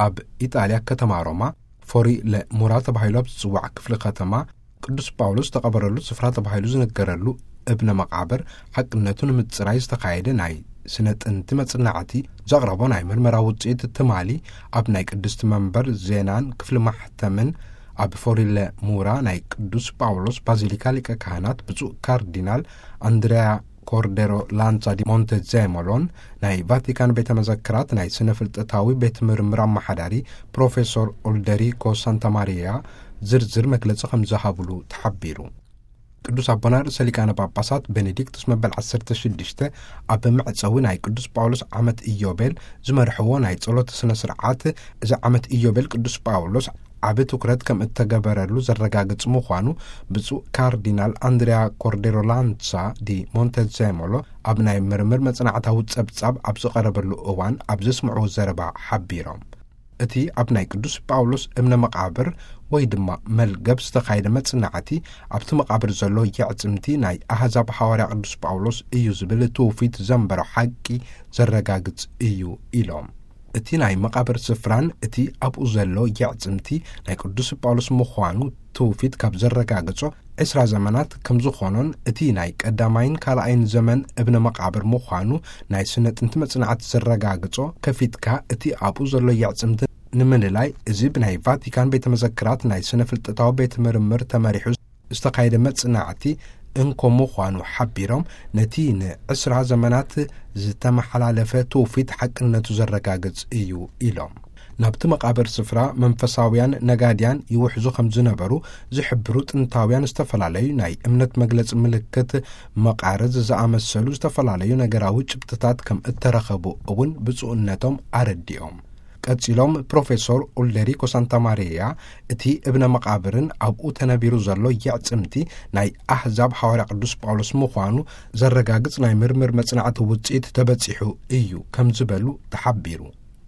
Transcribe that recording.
ኣብ ኢጣልያ ከተማ ሮማ ፎሪ ለሙራ ተባሂሉ ኣብ ዝጽዋዕ ክፍሊ ከተማ ቅዱስ ጳውሎስ ዝተቐበረሉ ስፍራ ተባሂሉ ዝነገረሉ እብነ መቓብር ሓቅነቱ ንምጽራይ ዝተኻየደ ናይ ስነ ጥንቲ መጽናዕቲ ዘቕረቦ ናይ ምርመራ ውጽኢት ትማሊ ኣብ ናይ ቅድስቲ መንበር ዜናን ክፍሊ ማሕተምን ኣብ ፎሪለ ሙራ ናይ ቅዱስ ጳውሎስ ባዚሊካ ሊቀ ካህናት ብፁዕ ካርዲናል ኣንድሪያ ኮርዴሮ ላንሳ ዲ ሞንቴዜሞሎን ናይ ቫቲካን ቤተ መዘክራት ናይ ስነ ፍልጠታዊ ቤት ምርምር ኣመሓዳሪ ፕሮፌሶር ኦልደሪኮ ሳንታማሪያ ዝርዝር መግለጺ ከም ዝሃብሉ ተሓቢሩ። ቅዱስ ኣቦና ርእሰ ሊቃነ ጳጳሳት ቤኔዲክቱስ መበል ዓሰርተ ሽዱሽተ ኣብ መዕጸዊ ናይ ቅዱስ ጳውሎስ ዓመት ኢዮቤል ዝመርሕዎ ናይ ጸሎት ስነ ስርዓት፣ እዚ ዓመት ኢዮቤል ቅዱስ ጳውሎስ ዓቢ ትኩረት ከም እተገበረሉ ዘረጋግጽ ምዃኑ ብፁዕ ካርዲናል ኣንድሪያ ኮርዴሮ ላንሳ ዲ ሞንቴዜሞሎ ኣብ ናይ ምርምር መጽናዕታዊ ጸብጻብ ኣብ ዝቐረበሉ እዋን ኣብ ዘስምዕዎ ዘረባ ሓቢሮም። እቲ ኣብ ናይ ቅዱስ ጳውሎስ እምነ መቓብር ወይ ድማ መልገብ ዝተኻየደ መጽናዕቲ ኣብቲ መቓብር ዘሎ የዕጽምቲ ናይ ኣህዛብ ሓዋርያ ቅዱስ ጳውሎስ እዩ ዝብል ትውፊት ዘንበሮ ሓቂ ዘረጋግጽ እዩ ኢሎም። እቲ ናይ መቓብር ስፍራን እቲ ኣብኡ ዘሎ የዕጽምቲ ናይ ቅዱስ ጳውሎስ ምዃኑ ትውፊት ካብ ዘረጋግጾ ዕስራ ዘመናት ከም ዝኾኖን እቲ ናይ ቀዳማይን ካልኣይን ዘመን እብነ መቓብር ምዃኑ ናይ ስነ ጥንቲ መጽናዕቲ ዘረጋግጾ ከፊትካ እቲ ኣብኡ ዘሎ የዕጽምቲ ንምልላይ እዚ ብናይ ቫቲካን ቤተ መዘክራት ናይ ስነ ፍልጠታዊ ቤት ምርምር ተመሪሑ ዝተኻየደ መጽናዕቲ እንኮ ምዃኑ ሓቢሮም፣ ነቲ ንዕስራ ዘመናት ዝተመሓላለፈ ትውፊት ሓቅነቱ ዘረጋግጽ እዩ ኢሎም። ናብቲ መቓብር ስፍራ መንፈሳውያን ነጋድያን ይውሕዙ ከም ዝነበሩ ዝሕብሩ ጥንታውያን ዝተፈላለዩ ናይ እምነት መግለጺ ምልክት መቓርዝ ዝኣመሰሉ ዝተፈላለዩ ነገራዊ ጭብጥታት ከም እተረኸቡ እውን ብፁዕነቶም ኣረዲኦም። ቀጺሎም ፕሮፌሶር ኡልደሪኮ ሳንታማሪያ እቲ እብነ መቓብርን ኣብኡ ተነቢሩ ዘሎ የዕጽምቲ ናይ ኣህዛብ ሓዋርያ ቅዱስ ጳውሎስ ምዃኑ ዘረጋግጽ ናይ ምርምር መጽናዕቲ ውጽኢት ተበጺሑ እዩ ከም ዝበሉ ተሓቢሩ።